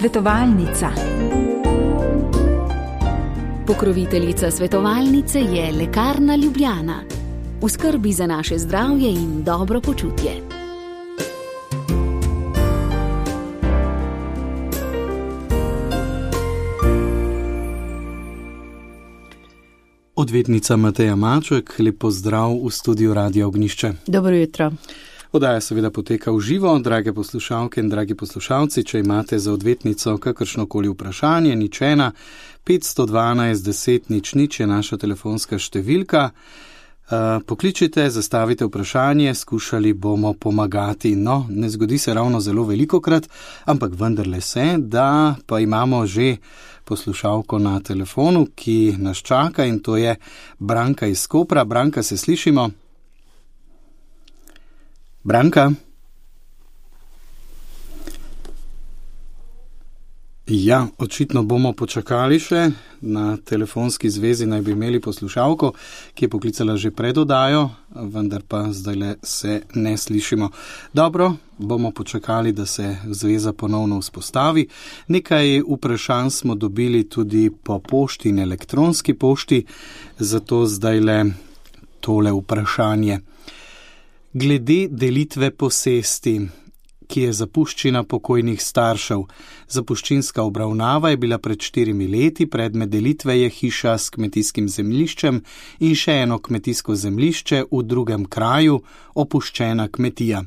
Svetovalnica. Pokroviteljica svetovalnice je Lekarna Ljubljana. V skrbi za naše zdravje in dobro počutje. Odvetnica Mateja Maček, lep pozdrav v studiu Radia Ognjišče. Dobro jutro. Oddaja seveda poteka v živo, drage poslušalke in dragi poslušalci, če imate za odvetnico kakršnokoli vprašanje, nič 1 512 10 00 je naša telefonska številka. Pokličite, zastavite vprašanje, skušali bomo pomagati. No, ne zgodi se ravno zelo velikokrat, ampak vendarle se, da pa imamo že poslušalko na telefonu, ki nas čaka, in to je Branka iz Kopra. Branka, se slišimo? Branka? Ja, očitno bomo počakali še. Na telefonski zvezi naj bi imeli poslušalko, ki je poklicala že pred oddajo, vendar pa zdajle se ne slišimo. Dobro, bomo počakali, da se zveza ponovno vzpostavi. Nekaj vprašanj smo dobili tudi po pošti in elektronski pošti, zato zdajle tole vprašanje. Glede delitve posesti, ki je zapuščina pokojnih staršev. Zapuščinska obravnava je bila pred 4 leti, predmet delitve je hiša s kmetijskim zemljiščem in še eno kmetijsko zemljišče v drugem kraju, opuščena kmetija.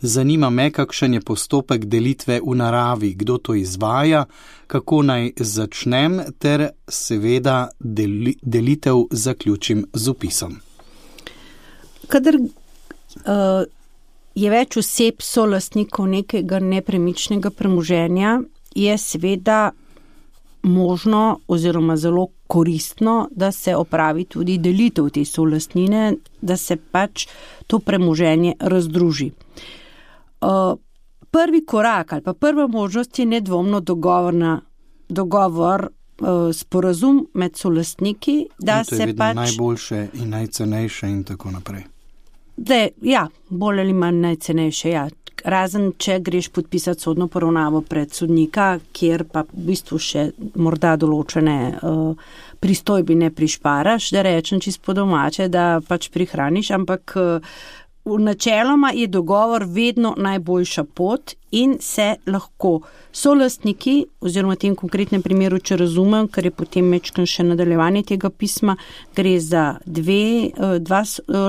Zanima me, kakšen je postopek delitve v naravi, kdo to izvaja, kako naj začnem ter seveda delitev zaključim z vpisom. Kadar je več oseb solastnikov nekega nepremičnega premoženja, je seveda možno oziroma zelo koristno, da se opravi tudi delitev te solastnine, da se pač to premoženje razdruži. Prvi korak ali pa prva možnost je nedvomno dogovor, sporazum med solastniki, da se pač... To je vedno najboljše in najcenejše in tako naprej. Ja, bolj ali manj najcenejše, ja. Razen, če greš podpisati sodno poravnavo pred sodnika, kjer pa v bistvu še morda določene pristojbine prišparaš, da rečem čisto po domače, da pač prihraniš, ampak načeloma je dogovor vedno najboljša pot in se lahko solastniki, oziroma v tem konkretnem primeru, če razumem, ker je potem mečkan še nadaljevanje tega pisma, gre za dva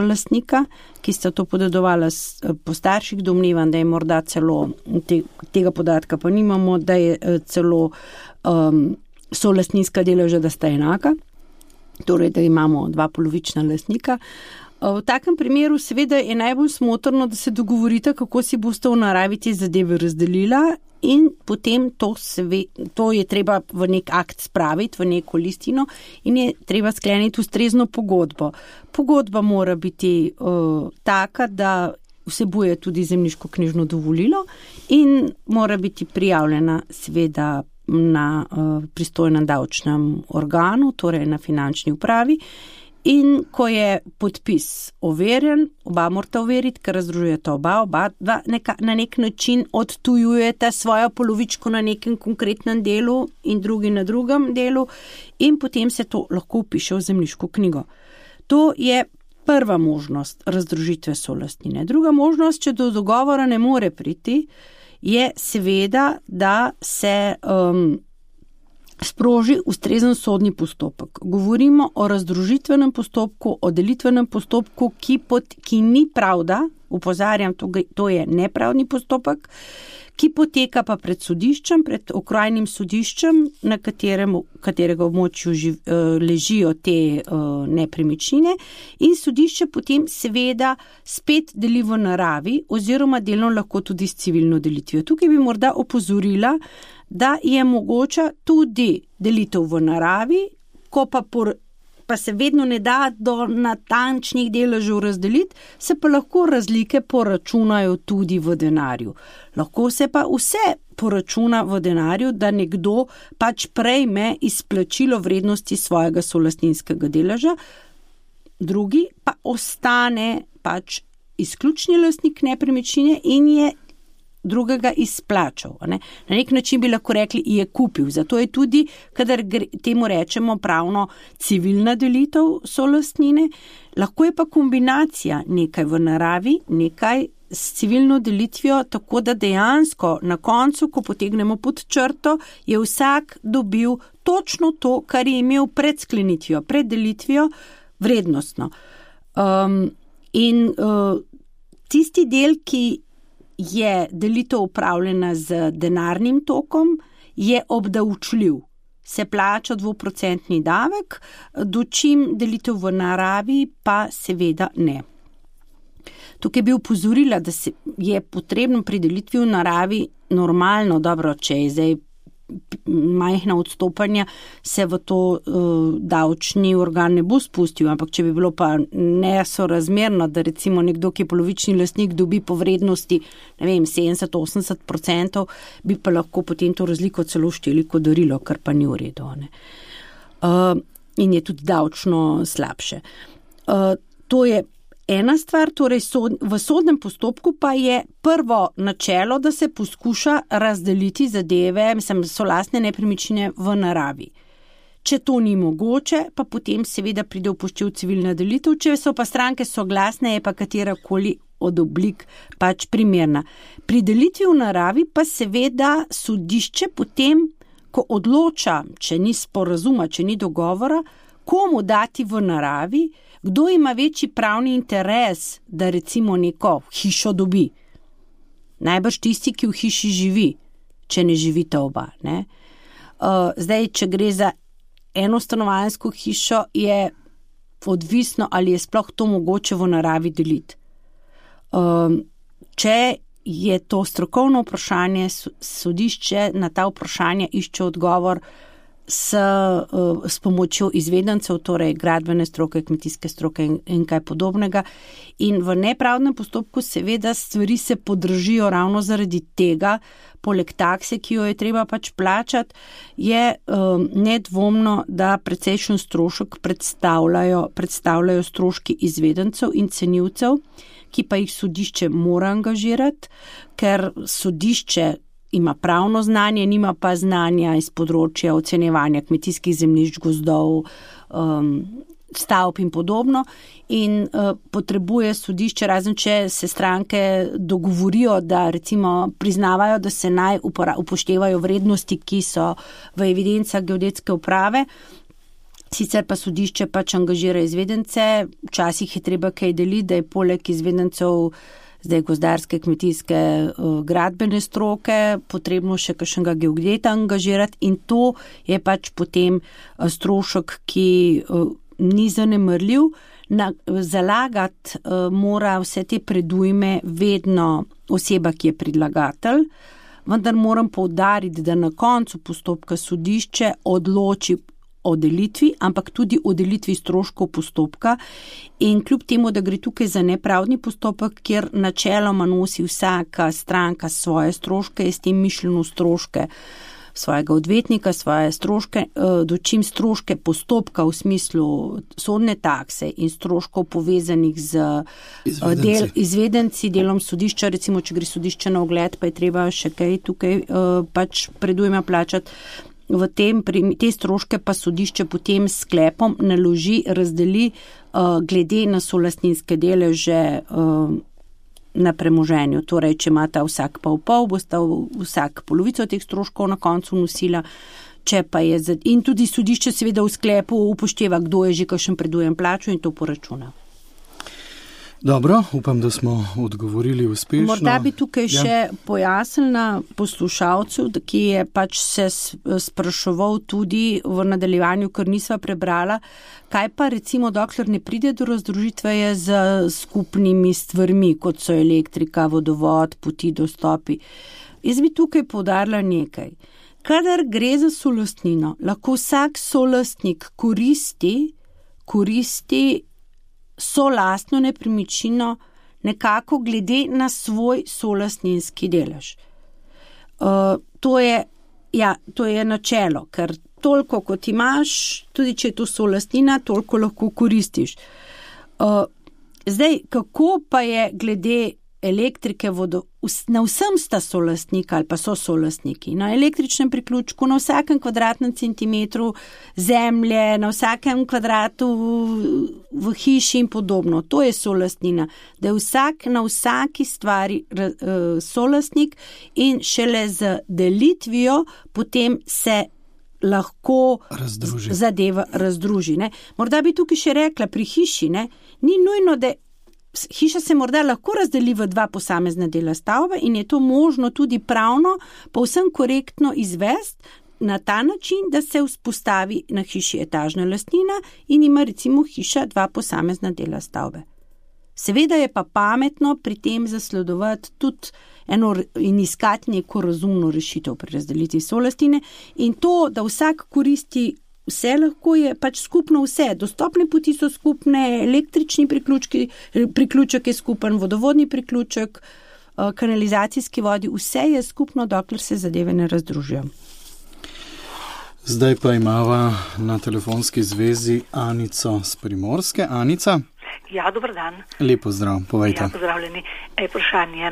lastnika, ki sta to podedovala po starših, domnevam, da je morda celo, tega podatka pa nimamo, da je celo solastninska deleža, da sta enaka, torej da imamo dva polovična lastnika. V takem primeru seveda je najbolj smotrno, da se dogovorite, kako si boste v naravi te zadeve razdelila in potem to je treba v nek akt spraviti, v neko listino in je treba skleniti ustrezno pogodbo. Pogodba mora biti taka, da vsebuje tudi zemljiško-knjižno dovolilo in mora biti prijavljena seveda na pristojnem davčnem organu, torej na finančni upravi. In ko je podpis overjen, oba morata overiti, ker razdružujete oba na nek način odtujujete svojo polovičko na nekem konkretnem delu in drugi na drugem delu in potem se to lahko vpiše v zemljiško knjigo. To je prva možnost razdružitve solastnine. Druga možnost, če do dogovora ne more priti, je seveda, da se sproži ustrezen sodni postopek. Govorimo o razdružitvenem postopku, o delitvenem postopku, ki ni pravda, opozarjam, to je nepravdni postopek, ki poteka pa pred sodiščem, pred okrajnim sodiščem, na katerega območju ležijo te nepremičnine in sodišče potem seveda spet deli v naravi oziroma delno lahko tudi s civilno delitvijo. Tukaj bi morda opozorila, da je mogoča tudi delitev v naravi, ko pa se vedno ne da do natančnih deležev razdeliti, se pa lahko razlike poračunajo tudi v denarju. Lahko se pa vse poračuna v denarju, da nekdo pač prejme izplačilo vrednosti svojega solastninskega deleža, drugi pa ostane pač izključni lastnik nepremičnine in je drugega izplačal. Ne? Na nek način bi lahko rekli, je kupil. Zato je tudi, kadar temu rečemo pravno civilna delitev solastnine, lahko je pa kombinacija nekaj v naravi, nekaj s civilno delitvijo, tako da dejansko na koncu, ko potegnemo pod črto, je vsak dobil točno to, kar je imel pred sklenitvijo, pred delitvijo vrednostno. Tisti del, ki je delitev upravljena z denarnim tokom, je obdavčljiv. Se plača 2% davek, dočim delitev v naravi pa seveda ne. Tukaj bi upozorila, da je potrebno pri delitvi v naravi normalno, dobro, če je zdaj majhna odstopanja, se v to davčni organ ne bo spustil, ampak če bi bilo pa nesorazmerno, da recimo nekdo, ki je polovični lastnik, dobi po vrednosti, 70-80%, bi pa lahko potem to razliko celo šteli kot darilo, kar pa ni v redu. In je tudi davčno slabše. To je ena stvar, torej v sodnem postopku pa je prvo načelo, da se poskuša razdeliti zadeve, solastne nepremičnine v naravi. Če to ni mogoče, pa potem seveda pride upoštev civilna delitev, če so pa stranke soglasne, je pa katerakoli od oblik pač primerna. Pri delitvi v naravi pa seveda sodišče potem, ko odloča, če ni sporazuma, če ni dogovora, komu dati v naravi, kdo ima večji pravni interes, da recimo neko hišo dobi. Najbrž tisti, ki v hiši živi, če ne živita oba. Ne? Zdaj, če gre za enostanovanjsko hišo, je odvisno, ali je sploh to mogoče v naravi deliti. Če je to strokovno vprašanje, sodišče na ta vprašanja išče odgovor s pomočjo izvedencev, torej gradbene stroke, kmetijske stroke in kaj podobnega. In v nepravdnem postopku seveda stvari se podražijo ravno zaradi tega, poleg takse, ki jo je treba pač plačati, je nedvomno, da precejšen strošek predstavljajo stroški izvedencev in cenilcev, ki pa jih sodišče mora angažirati, ker sodišče ima pravno znanje, nima pa znanja iz področja ocenjevanja kmetijskih zemljišč, gozdov, stavb in podobno. In potrebuje sodišče, razen če se stranke dogovorijo, da recimo priznavajo, da se naj upoštevajo vrednosti, ki so v evidencah geodetske uprave. Sicer pa sodišče pač angažira izvedence, včasih je treba kaj deliti, da je poleg izvedencev zdaj gozdarske, kmetijske, gradbene stroke, potrebno še kakšnega geodeta angažirati in to je pač potem strošek, ki ni zanemrljiv. Zalagati mora vse te predujme vedno oseba, ki je predlagatelj, vendar moram poudariti, da na koncu postopka sodišče odloči o delitvi, ampak tudi o delitvi stroškov postopka in kljub temu, da gre tukaj za nepravdni postopek, kjer načeloma nosi vsaka stranka svoje stroške, je s tem mišljeno stroške svojega odvetnika, svoje stroške, dočim stroške postopka v smislu sodne takse in stroškov povezanih z izvedenci, delom sodišča, recimo, če gre sodišče na ogled, pa je treba še kaj tukaj pač predujma plačati. Te stroške pa sodišče potem s sklepom naloži, razdeli glede na solastninske deleže na premoženju. Torej, če imata vsak pol, bosta vsak polovico teh stroškov na koncu nosila, če pa je in tudi sodišče seveda v sklepu upošteva, kdo je že kakšen predujem plačo in to poračuna. Dobro, upam, da smo odgovorili uspešno. Morda bi tukaj še pojasnila poslušalcu, ki je pač se spraševal tudi v nadaljevanju, ker nisva prebrala, kaj pa recimo dokler ne pride do razdružitve je z skupnimi stvarmi, kot so elektrika, vodovod, poti, dostopi. Jaz bi tukaj poudarila nekaj. Kadar gre za solastnino, lahko vsak solastnik koristi solastno nepremičnino nekako glede na svoj solastninski delež. To je načelo, ker toliko kot imaš, tudi če je to solastnina, toliko lahko koristiš. Zdaj, kako pa je glede elektrike, na vsem sta solastnika ali pa so solastniki. Na električnem priključku, na vsakem kvadratnem centimetru zemlje, na vsakem kvadratu v hiši in podobno. To je solastnina, da je vsak na vsaki stvari solastnik in šele z delitvijo potem se lahko zadeva razdruži. Ne? Morda bi tukaj še rekla, pri hiši, ne? Ni nujno, da hiša se morda lahko razdeli v 2 posamezna dela stavbe in je to možno tudi pravno, povsem korektno izvesti na ta način, da se vzpostavi na hiši etažna lastnina in ima recimo hiša 2 posamezna dela stavbe. Seveda je pa pametno pri tem zasledovati tudi in iskati neko razumno rešitev pri razdelitvi solastine in to, da vsak koristi vse, lahko je pač skupno vse. Dostopne poti so skupne, električni priključek je skupen, vodovodni priključek, kanalizacijski vodi, vse je skupno, dokler se zadeve ne razdružijo. Zdaj pa imava na telefonski zvezi Anico z Primorske. Anica? Ja, dober dan. Lepo zdrav, povejte. Ja, pozdravljeni. Vprašanje,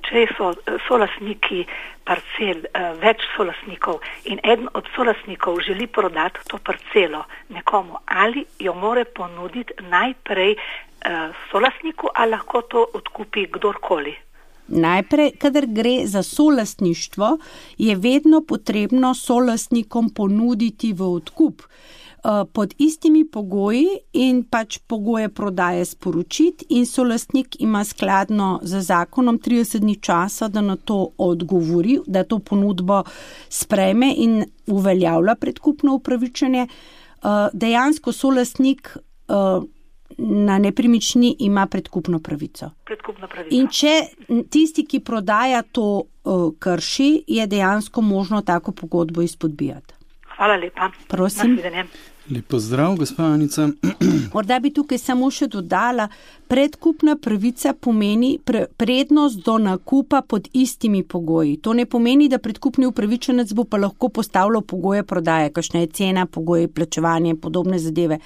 če so solastniki parcel, več solastnikov in eden od solastnikov želi prodati to parcelo nekomu, ali jo more ponuditi najprej solastniku, ali lahko to odkupi kdorkoli? Najprej, kadar gre za solastništvo, je vedno potrebno solastnikom ponuditi v odkup pod istimi pogoji in pač pogoje prodaje sporočiti in solastnik ima skladno z zakonom 30 dni časa, da na to odgovori, da to ponudbo sprejme in uveljavlja predkupno upravičenje. Dejansko solastnik na nepremičnini ima predkupno pravico. In če tisti, ki prodaja to krši, je dejansko možno tako pogodbo izpodbijati. Hvala lepa. Prosim. Lepo zdrav, gospa Anica. Morda bi tukaj samo še dodala, predkupna pravica pomeni prednost do nakupa pod istimi pogoji. To ne pomeni, da predkupni upravičenec bo pa lahko postavljal pogoje prodaje, kakšna je cena, pogoje plačevanja in podobne zadeve.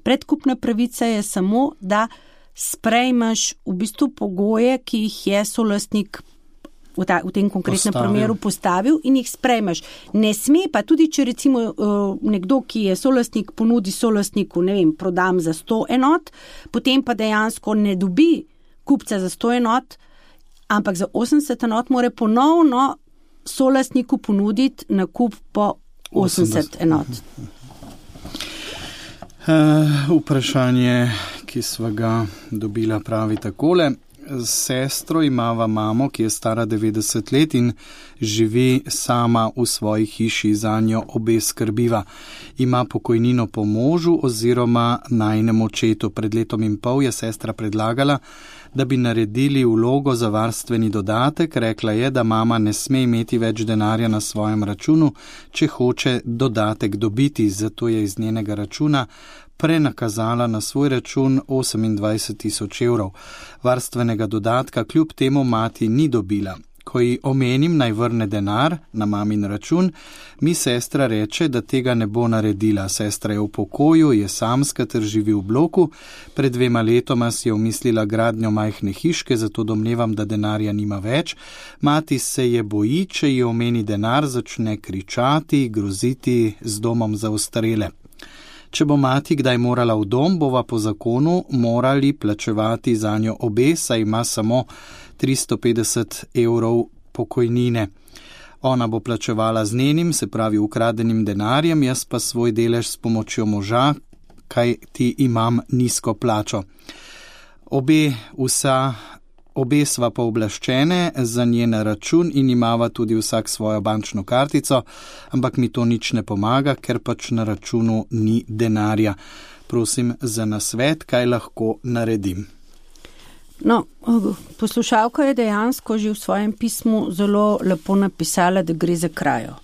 Predkupna pravica je samo, da sprejmeš v bistvu pogoje, ki jih je solastnik v tem konkretnem primeru postavil in jih sprejmeš. Ne sme pa tudi, če recimo nekdo, ki je solastnik, ponudi solastniku, ne vem, prodam za 100 enot, potem pa dejansko ne dobi kupca za 100 enot, ampak za 80 enot mora ponovno solastniku ponuditi nakup po 80 enot. Vprašanje, ki sva ga dobila, pravi takole. S sestro imava mamo, ki je stara 90 let in živi sama v svoji hiši, za njo obe skrbiva. Ima pokojnino po možu oziroma najinem očetu. Pred 1,5 leta je sestra predlagala, da bi naredili vlogo za varstveni dodatek. Rekla je, da mama ne sme imeti več denarja na svojem računu, če hoče dodatek dobiti, zato je iz njenega računa prenakazala na svoj račun 28,000 evrov. Varstvenega dodatka kljub temu mati ni dobila. Ko ji omenim, naj vrne denar na mamin račun, mi sestra reče, da tega ne bo naredila. Sestra je v pokoju, je samska ter živi v bloku. Pred 2 letoma si je umislila gradnjo majhne hiške, zato domnevam, da denarja nima več. Mati se je boji, če ji omeni denar, začne kričati, groziti z domom za ostarele. Če bo mati kdaj morala v dom, bova po zakonu morali plačevati za njo obe, saj ima samo 350 evrov pokojnine. Ona bo plačevala z njenim, se pravi ukradenim denarjem, jaz pa svoj delež s pomočjo moža, kaj ti imam nizko plačo. Obe sva pooblaščene za njen račun in imava tudi vsak svojo bančno kartico, ampak mi to nič ne pomaga, ker pač na računu ni denarja. Prosim za nasvet, kaj lahko naredim. No, poslušalka je dejansko že v svojem pismu zelo lepo napisala, da gre za krajo.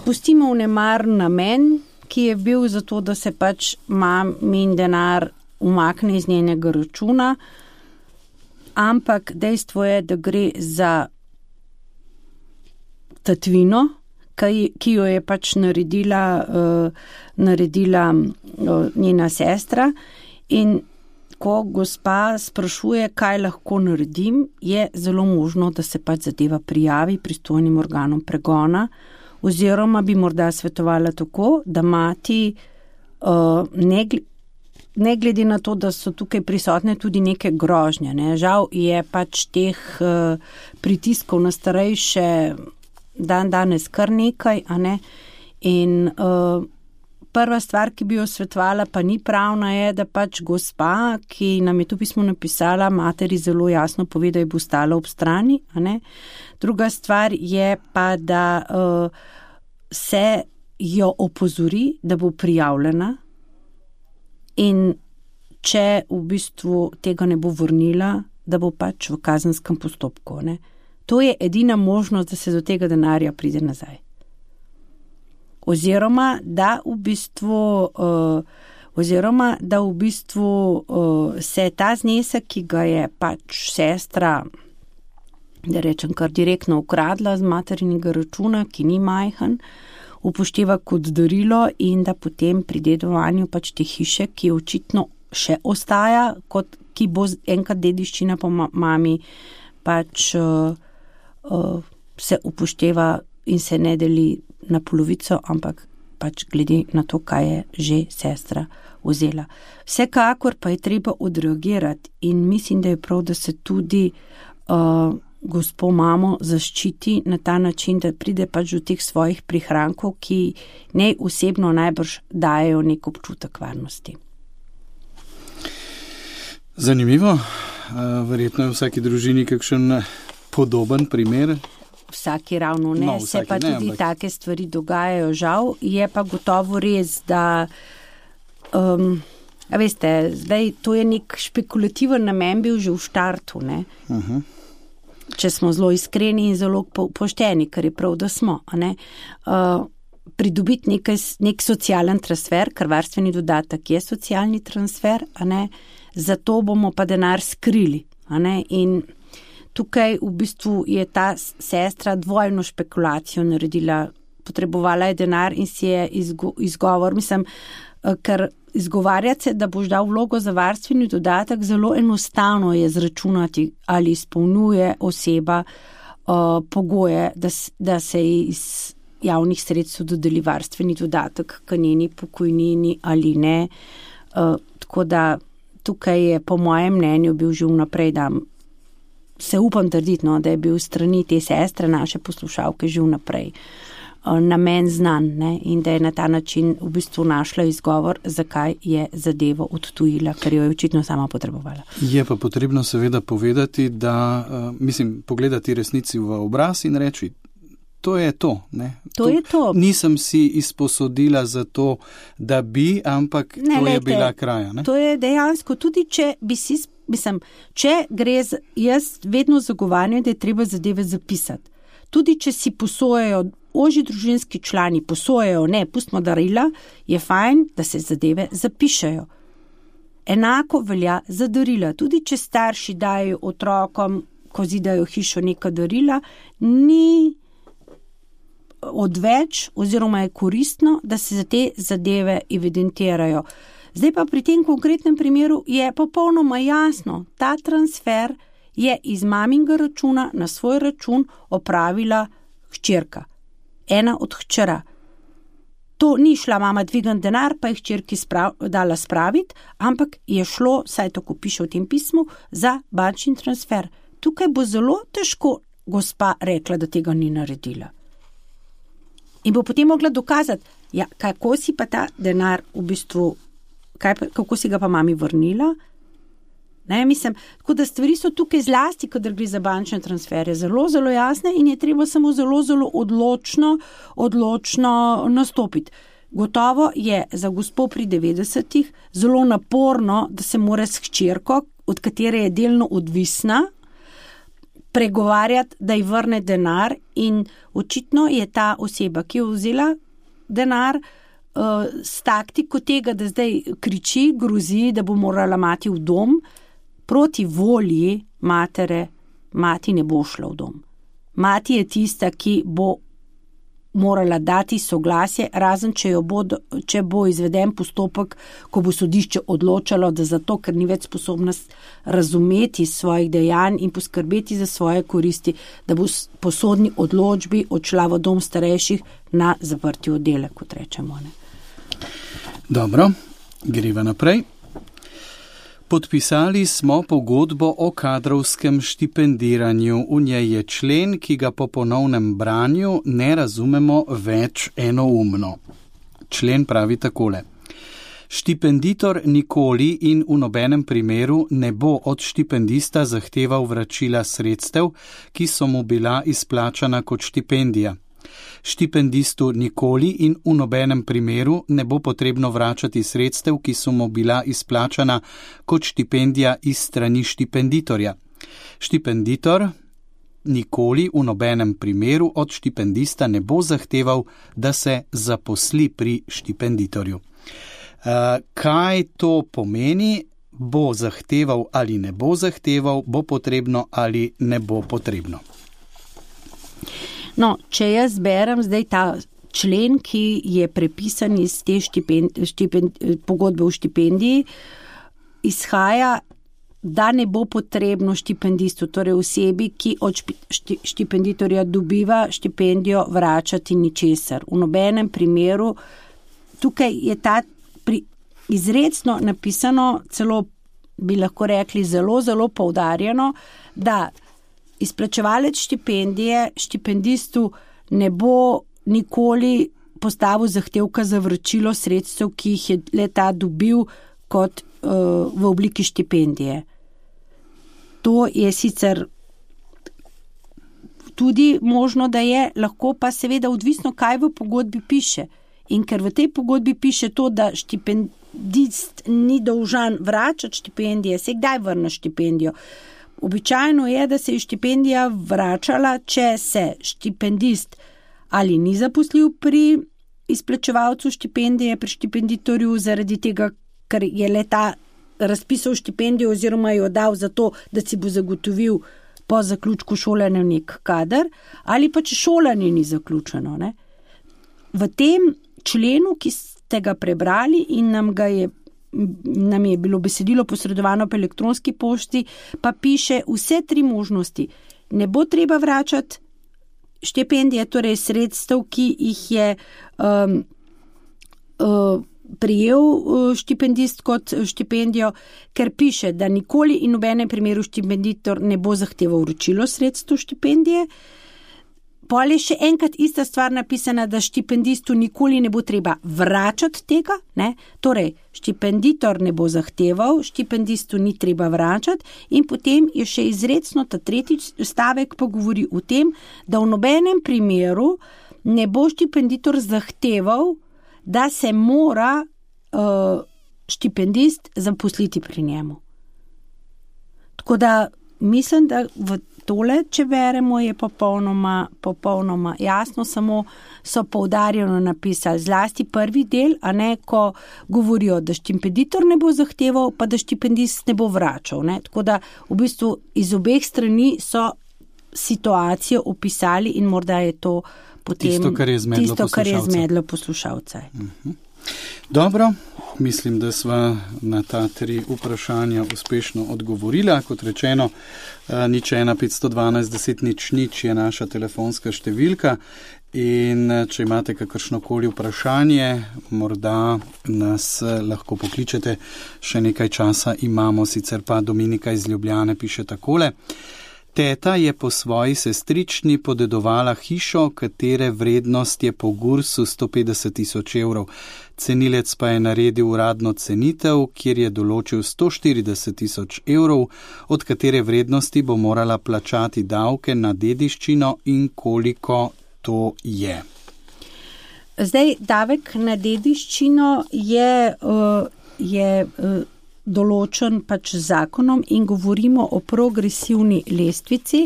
Pustimo vnemar namen, ki je bil zato, da se pač mamin denar umakne iz njenega računa, ampak dejstvo je, da gre za tatvino, ki jo je pač naredila njena sestra in ko gospa sprašuje, kaj lahko naredim, je zelo možno, da se pač zadeva prijavi pristojnim organom pregona, oziroma bi morda svetovala tako, da mati ne glede na to, da so tukaj prisotne tudi neke grožnje. Ne. Žal je pač teh pritiskov na starejše danes kar nekaj, a ne. In prva stvar, ki bi jo svetovala, pa ni pravna, je, da pač gospa, ki nam je to pismo napisala, materi zelo jasno pove, da je bo stala ob strani, a ne. Druga stvar je pa, da se jo opozori, da bo prijavljena, in če v bistvu tega ne bo vrnila, da bo pač v kazenskem postopku. Ne. To je edina možnost, da se do tega denarja pride nazaj. Oziroma, da v bistvu se ta znesek, ki ga je pač sestra, da rečem kar direktno ukradla z materinega računa, ki ni majhen, upošteva kot darilo in da potem pri dedovanju pač te hiše, ki očitno še ostaja, kot ki bo enkrat dediščina po mami, pač se upošteva in se ne deli na polovico, ampak pač glede na to, kaj je že sestra vzela. Vsekakor pa je treba odreagirati in mislim, da je prav, da se tudi gospo mamo zaščiti na ta način, da pride pač do teh svojih prihrankov, ki ne osebno najbrž dajo nek občutek varnosti. Zanimivo. Verjetno je v vsaki družini kakšen podoben primer. Vsaki ravno ne, se pa tudi take stvari dogajajo, žal. Je pa gotovo res, da veste, zdaj to je nek špekulativen namen bil že v štartu, ne. Če smo zelo iskreni in zelo pošteni, kar je prav, da smo, a ne. Pridobiti nek socialen transfer, ker varstveni dodatek je socialni transfer, a ne, zato bomo pa denar skrili, a ne, in tukaj v bistvu je ta sestra dvojno špekulacijo naredila, potrebovala je denar in si je izgovor, mislim, ker izgovarjati se, da boš dal vlogo za varstveni dodatek, zelo enostavno je zračunati, ali izpolnjuje oseba pogoje, da se iz javnih sredstev dodeli varstveni dodatek k njeni pokojnini ali ne. Tako da tukaj je po mojem mnenju bil že vnaprej, da se upam trditi, no, da je bil strani te sestre, naše poslušalke, že vnaprej namen znan, ne, in da je na ta način v bistvu našla izgovor, zakaj je zadevo odtujila, ker jo je očitno sama potrebovala. Je pa potrebno seveda povedati, da, pogledati resnici v obraz in reči, to je to, ne. To je to. Nisem si izposodila za to, da bi, ampak ne, to je bila kraja, ne. To je dejansko, tudi če bi si, če gre, jaz vedno zagovarjam, da je treba zadeve zapisati. Tudi če si posojajo, ožji družinski člani posojajo, ne, pustimo darila, je fajn, da se zadeve zapišejo. Enako velja za darila. Tudi če starši dajo otrokom, ko zidajo hišo, neka darila, ni odveč oziroma je koristno, da se za te zadeve evidentirajo. Zdaj pa pri tem konkretnem primeru je popolnoma jasno, ta transfer je iz maminega računa na svoj račun opravila hčerka. Ena od hčera. To ni šla mama dvigant denar, pa je hčerki dala spraviti, ampak je šlo, saj tako piše v tem pismu, za bančni transfer. Tukaj bo zelo težko gospa rekla, da tega ni naredila. In bo potem mogla dokazati, ja, kako si pa ta denar v bistvu, kako si ga pa mami vrnila. Ne, tako da stvari so tukaj zlasti, kadar gre za bančne transfere, zelo, zelo jasne in je treba samo zelo, zelo odločno nastopiti. Gotovo je za gospo pri 90-ih zelo naporno, da se mora s hčerko, od katere je delno odvisna, pregovarjati, da ji vrne denar in očitno je ta oseba, ki je vzela denar, s taktiko tega, da zdaj kriči, grozi, da bo morala mati v dom, proti volji matere, mati ne bo šla v dom. Mati je tista, ki bo morala dati soglasje, razen če bo izveden postopek, ko bo sodišče odločalo, da zato, ker ni več sposobna razumeti svojih dejanj in poskrbeti za svoje koristi, da bo po sodni odločbi odšla v dom starejših na zaprti oddelek, kot rečemo. Ne? Dobro, greva naprej. Podpisali smo pogodbo o kadrovskem štipendiranju. V njej je člen, ki ga po ponovnem branju ne razumemo več enoumno. Člen pravi takole. Štipenditor nikoli in v nobenem primeru ne bo od štipendista zahteval vračila sredstev, ki so mu bila izplačana kot štipendija. Štipendistu nikoli in v nobenem primeru ne bo potrebno vračati sredstev, ki so mu bila izplačana kot štipendija iz strani štipenditorja. Štipenditor nikoli v nobenem primeru od štipendista ne bo zahteval, da se zaposli pri štipenditorju. Kaj to pomeni? Bo zahteval ali ne bo zahteval, bo potrebno ali ne bo potrebno. No, če jaz berem zdaj ta člen, ki je prepisan iz te pogodbe o štipendiji, izhaja, da ne bo potrebno štipendistu, torej osebi, ki od štipenditorja dobiva štipendijo, vračati ničesar. V nobenem primeru, tukaj je ta izrecno napisano, celo bi lahko rekli zelo, zelo poudarjeno, da izplačevalec štipendije štipendistu ne bo nikoli postavil zahtevka za vračilo sredstev, ki jih je le-ta dobil kot v obliki štipendije. To je sicer tudi možno, da je, lahko pa seveda odvisno, kaj v pogodbi piše. In ker v tej pogodbi piše to, da štipendist ni dolžan vračati štipendije, se kdaj vrne štipendijo. Običajno je, da se je štipendija vračala, če se štipendist ali ni zaposlil pri izplačevalcu štipendije, pri štipenditorju zaradi tega, ker je le-ta razpisal štipendijo oziroma jo dal za to, da si bo zagotovil po zaključku šolanja nek kader, ali pa če šolanje ni zaključeno. Ne? V tem členu, ki ste ga prebrali in nam je bilo besedilo posredovano po elektronski pošti, pa piše vse 3 možnosti. Ne bo treba vračati štipendije, torej sredstev, ki jih je prijel štipendist kot štipendijo, ker piše, da nikoli in v nobenem primeru štipenditor ne bo zahteval vračilo sredstev štipendije. Pol je še enkrat ista stvar napisana, da štipendistu nikoli ne bo treba vračati tega, ne? Torej, štipenditor ne bo zahteval, štipendistu ni treba vračati in potem je še izrecno ta 3. stavek pa govori o tem, da v nobenem primeru ne bo štipenditor zahteval, da se mora štipendist zaposliti pri njemu. Tako da mislim, da v tole, če beremo, je popolnoma jasno, samo so poudarjeno napisali zlasti prvi del, a ne, ko govorijo, da štipenditor ne bo zahteval, pa da štipendist ne bo vračal. Ne? Tako da v bistvu iz obeh strani so situacijo opisali in morda je to potem tisto, kar je zmedlo poslušalce. Dobro, mislim, da sva na ta 3 vprašanja uspešno odgovorila. Kot rečeno, 01 512 10 00 je naša telefonska številka in če imate kakršnokoli vprašanje, morda nas lahko pokličete, še nekaj časa imamo, sicer pa Dominika iz Ljubljane piše takole. Teta je po svoji sestrični podedovala hišo, katere vrednost je po Gursu 150 000 evrov. Cenilec pa je naredil uradno cenitev, kjer je določil 140 000 evrov, od katere vrednosti bo morala plačati davke na dediščino in koliko to je. Zdaj, davek na dediščino je določen pač zakonom in govorimo o progresivni lestvici.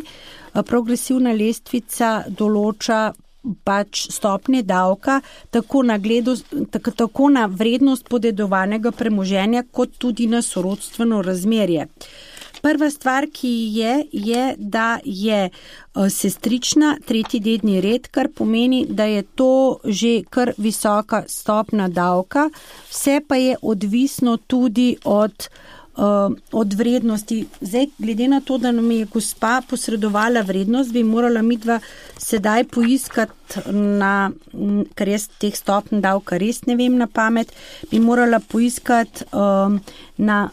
Progresivna lestvica določa pač stopnje davka tako na vrednost podedovanega premoženja kot tudi na sorodstveno razmerje. Prva stvar, ki je, da je sestrična 3. dedni red, kar pomeni, da je to že kar visoka stopna davka, vse pa je odvisno tudi od vrednosti. Zdaj, glede na to, da nam je gospa posredovala vrednost, bi morala midva sedaj poiskati ker jaz teh stopn davka res ne vem na pamet, bi morala poiskati na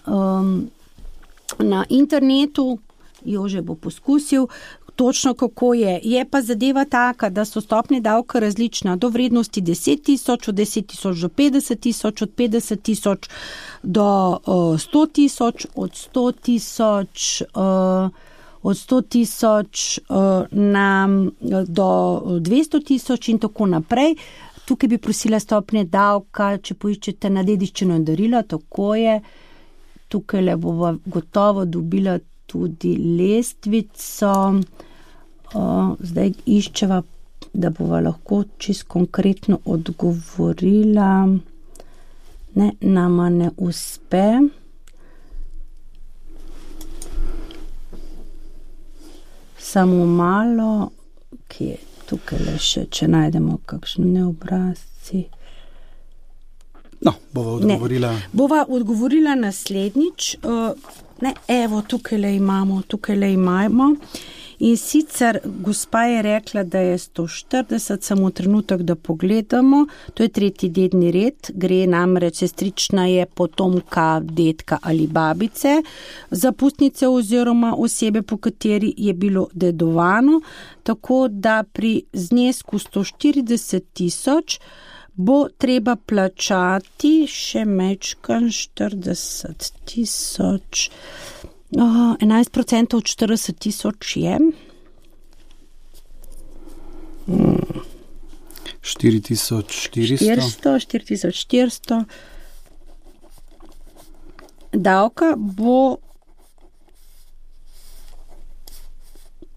internetu, Jože bo poskusil, točno kako je. Je pa zadeva taka, da so stopnje davka različna do vrednosti 10.000, od 10.000 do 50.000, od 50.000 do 100.000, od 100.000 do 200.000 in tako naprej. Tukaj bi prosila stopnje davka, če poiščete na dediščino in darila, tako je. Tukaj le bova gotovo dobila tudi lestvico. Zdaj iščeva, da bova lahko čisto konkretno odgovorila. Ne, nama ne uspe. Samo malo, ki je tukaj le še, če najdemo kakšne obrazci. No, bova odgovorila. Bova odgovorila naslednjič. Evo, tukaj le imamo. In sicer gospa je rekla, da je 140, samo trenutek, da pogledamo. To je 3. dedni red, gre namreč sestrična je potomka, dedka ali babice, zapustnice oziroma osebe, po kateri je bilo dedovano, tako da pri znesku 140.000 bo treba plačati še mečkan 40.000. 11% od 40.000 je 4.400. Davka bo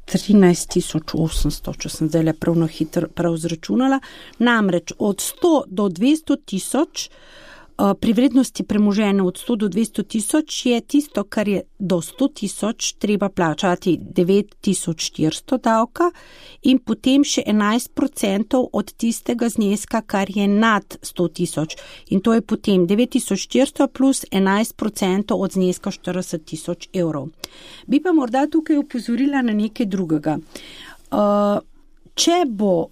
13.800, če sem zdaj prav na hitro prav zračunala. Namreč od 100 do 200.000, pri vrednosti premoženja od 100 do 200.000 je tisto, kar je do 100.000, treba plačati 9.400 davka in potem še 11% od tistega zneska, kar je nad 100.000. In to je potem 9.400 plus 11% od zneska 40.000 evrov. Bi pa morda tukaj upozorila na nekaj drugega. Če bo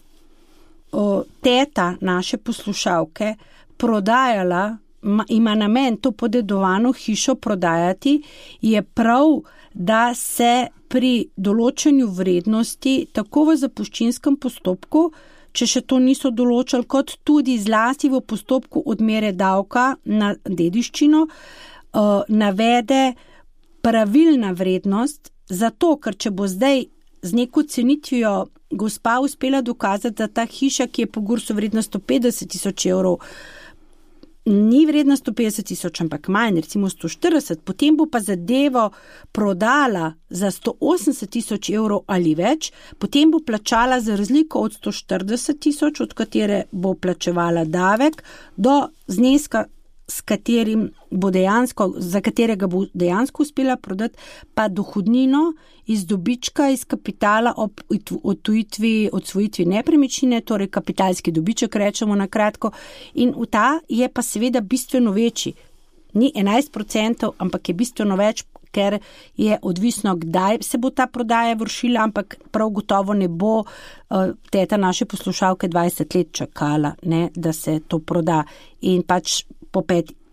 teta naše poslušalke prodajala, ima namen to podedovano hišo prodajati, je prav, da se pri določanju vrednosti tako v zapuščinskem postopku, če še to niso določali, kot tudi zlasti v postopku odmere davka na dediščino, navede pravilna vrednost, zato ker če bo zdaj z neko cenitvijo gospa uspela dokazati, da ta hiša, ki je po GURS-u vredna 150.000 evrov, ni vredna 150.000, ampak manj, recimo 140, potem bo pa zadevo prodala za 180.000 evrov ali več, potem bo plačala za razliko od 140.000, od katere bo plačevala davek, do zneska, za katerega bo dejansko uspela prodati, pa dohodnino iz dobička, iz kapitala ob odsvojitvi nepremičnine, torej kapitalski dobiček, rečemo na kratko, in v ta je pa seveda bistveno večji. Ni 11%, ampak je bistveno več, ker je odvisno, kdaj se bo ta prodaja vršila, ampak prav gotovo ne bo teta naše poslušalke 20 let čakala, ne, da se to proda. In pač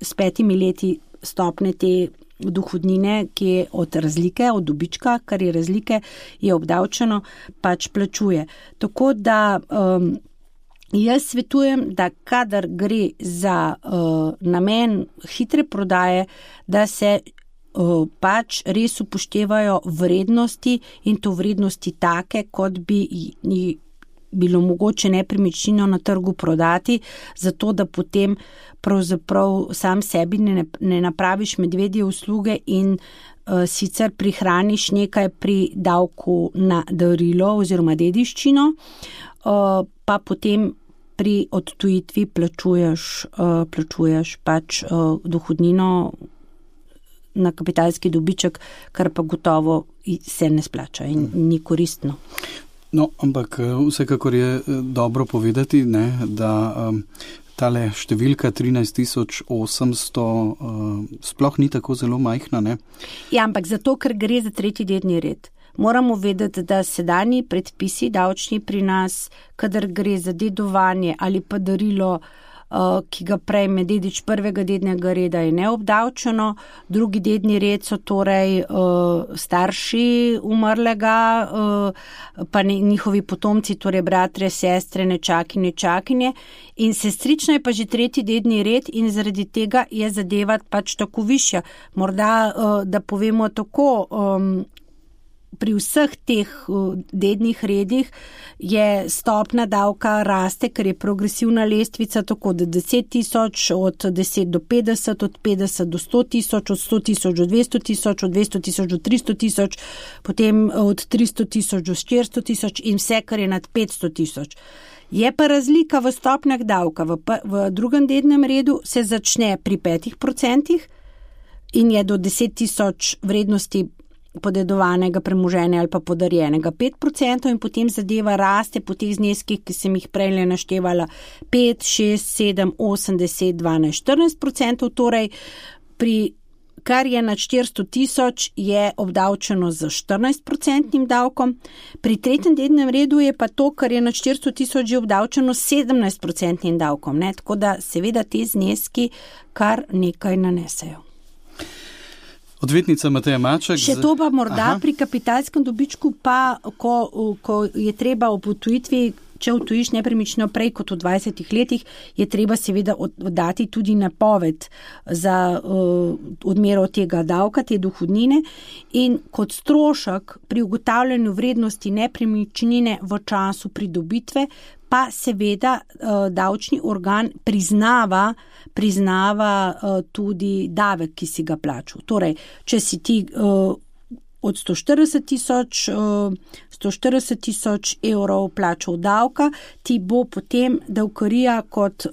s 5 leti stopne te dohodnine, ki je od razlike, od dobička, kar je razlike, je obdavčeno, pač plačuje. Tako da jaz svetujem, da kadar gre za namen hitre prodaje, da se pač res upoštevajo vrednosti in to vrednosti take, kot bi bilo mogoče nepremičnino na trgu prodati, zato da potem pravzaprav sam sebi ne napraviš medvedje usluge in sicer prihraniš nekaj pri davku na darilo oziroma dediščino, pa potem pri odtujitvi plačuješ pač dohodnino na kapitalski dobiček, kar pa gotovo se ne splača in ni koristno. No, ampak vsekakor je dobro povedati, ne, da tale številka 13.800 sploh ni tako zelo majhna, ne? Ja, ampak zato, ker gre za tretji dedni red. Moramo vedeti, da sedanji predpisi davčni pri nas, kadar gre za dedovanje ali pa darilo, ki ga prejme dedič prvega dednega reda, je neobdavčeno. Drugi dedni red so torej starši umrlega, pa njihovi potomci, torej bratre, sestre, nečaki, nečakinje. In sestrična je pa že tretji dedni red in zaradi tega je zadeva pač tako višja. Morda, da povemo tako, pri vseh teh dednih redih je stopna davka raste, ker je progresivna lestvica, tako da 10.000 od 10 do 50, od 50 do 100.000, od 100.000 do 200.000, od 200.000 do 300.000, potem od 300.000 do 400.000 in vse, kar je nad 500.000. Je pa razlika v stopnjah davka. V drugem dednem redu se začne pri 5% in je do 10.000 vrednosti podedovanega premoženja ali pa podarjenega 5% in potem zadeva raste po teh zneskih, ki sem jih prej naštevala 5, 6, 7, 8, 10, 12, 14%, torej pri kar je nad 400.000 je obdavčeno z 14% davkom, pri tretjem dednem redu je pa to, kar je nad 400.000 že obdavčeno s 17% davkom, ne? Tako da seveda te zneski kar nekaj nanesejo. Odvetnica Mateja Maček. Še to pa morda pri kapitalskem dobičku, pa ko je treba ob odtujitvi, če odtujiš nepremičnino prej kot v 20 letih, je treba seveda dati tudi napoved za odmero tega davka, te dohodnine in kot strošek pri ugotavljanju vrednosti nepremičnine v času pridobitve pa seveda davčni organ priznava tudi davek, ki si ga plačal. Torej, če si ti od 140.000 evrov plačal davka, ti bo potem davkarija kot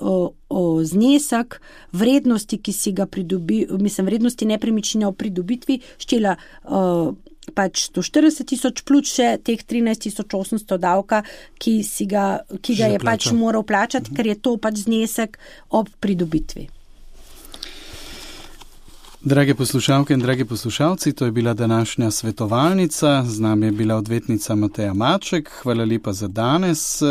znesek vrednosti, ki si ga vrednosti nepremičnine v pridobitvi štela pač 140.000 plus še teh 13.800 davka, ki ga je pač moral plačati, ker je to pač znesek ob pridobitvi. Drage poslušalke in dragi poslušalci, to je bila današnja svetovalnica. Z nami je bila odvetnica Mateja Maček. Hvala lepa za danes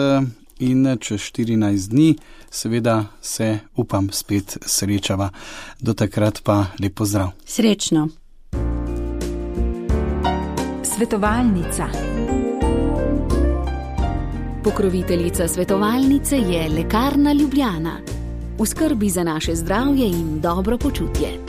in čez 14 dni seveda se, upam, spet srečava. Do takrat pa lep pozdrav. Srečno. Svetovalnica. Pokroviteljica svetovalnice je Lekarna Ljubljana. V skrbi za naše zdravje in dobro počutje.